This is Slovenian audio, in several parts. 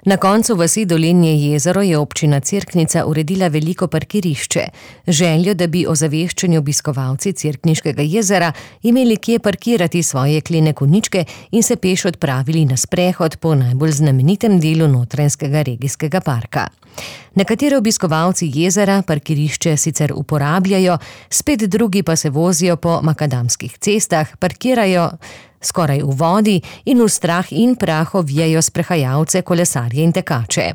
Na koncu vasi Dolenje jezero je občina Cerknica uredila veliko parkirišče. Željo, da bi ozaveščeni obiskovalci Cerkniškega jezera imeli kje parkirati svoje jeklene konjičke in se peš odpravili na sprehod po najbolj znamenitem delu Notranjskega regijskega parka. Nekateri obiskovalci jezera parkirišče sicer uporabljajo, spet drugi pa se vozijo po makadamskih cestah, parkirajo skoraj v vodi in v strah in prah ovijajo sprehajalce, kolesarje in tekače.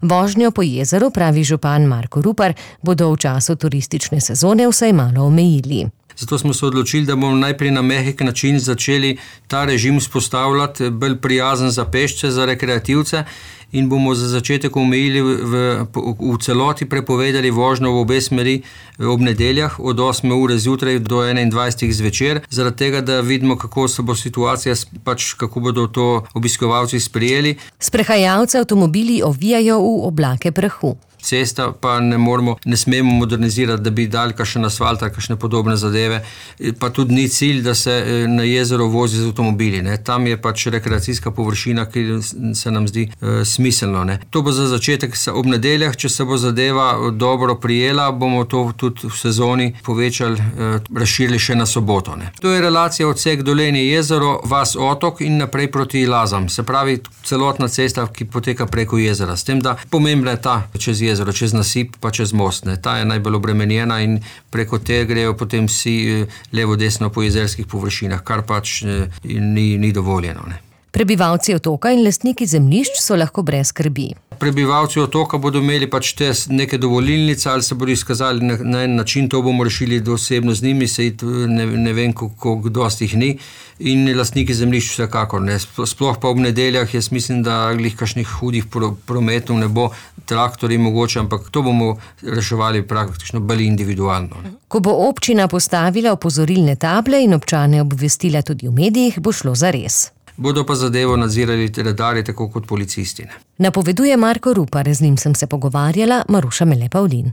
Vožnjo po jezeru, pravi župan Marko Rupar, bodo v času turistične sezone vsaj malo omejili. Zato smo se odločili, da bomo najprej na mehek način začeli ta režim vzpostavljati, bolj prijazen za pešce, za rekreativce, in bomo za začetek omejili v celoti prepovedali vožnjo v obe smeri ob nedeljah od 8 ure zjutraj do 21 zvečer, zaradi tega, da vidimo, kako se bo situacija, kako bodo to obiskovalci sprejeli. Sprehajalce avtomobili ovijajo v oblake prahu. Cesta pa ne smemo modernizirati, da bi dali kakšen asfalt ali kakšne podobne zadeve, pa tudi ni cilj, da se na jezero vozi z avtomobili. Tam je rekreacijska površina, ki se nam zdi smiselno. To bo za začetek ob nedeljah, če se bo zadeva dobro prijela, bomo to tudi v sezoni povečali, razširili še na soboto. To je relacija odsek Dolenje jezero, vas Otok in naprej proti Lazam. Se pravi, celotna cesta, ki poteka preko jezera. S tem, da pomembna je ta čez jezero, čez nasip pa čez most. Ta je najbolj obremenjena in preko te grejo potem vsi levo-desno po jezerskih površinah, kar ni dovoljeno. Prebivalci otoka in lastniki zemljišč so lahko brez skrbi. Prebivalci otoka bodo imeli te neke dovolilnice ali se bodo izkazali na en način, to bomo rešili osebno z njimi, ne vem, koliko dosti jih ni, in lastniki zemljišč vsekakor. Sploh pa ob nedeljah, jaz mislim, da glih kakšnih hudih prometov ne bo, traktorji mogoče, ampak to bomo reševali praktično bolj individualno. Ko bo občina postavila opozorilne table in občane obvestila tudi v medijih, bo šlo zares. Bodo pa zadevo nadzirali redarji, tako kot policisti. Napoveduje Marko Rupar, z njim sem se pogovarjala, Maruša Mele Pavlin.